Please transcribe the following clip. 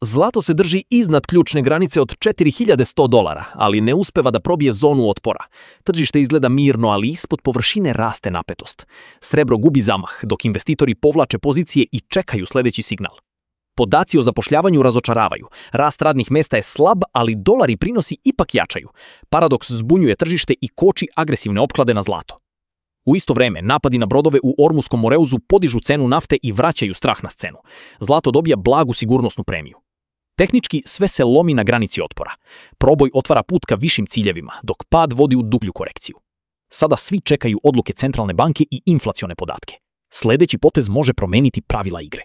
Zlato se drži iznad ključne granice od $4100, ali ne uspeva da probije zonu otpora. Tržište izgleda mirno, ali ispod površine raste napetost. Srebro gubi zamah, dok investitori povlače pozicije i čekaju sljedeći signal. Podaci o zapošljavanju razočaravaju. Rast radnih mesta je slab, ali dolar i prinosi ipak jačaju. Paradoks zbunjuje tržište i koči agresivne opklade na zlato. U isto vreme, napadi na brodove u Ormuskom moreuzu podižu cenu nafte i vraćaju strah na scenu. Zlato dobija blagu sigurnosnu premiju. Tehnički sve se lomi na granici otpora. Proboj otvara put ka višim ciljevima, dok pad vodi u dublju korekciju. Sada svi čekaju odluke centralne banke i inflacione podatke. Sljedeći potez može promeniti pravila igre.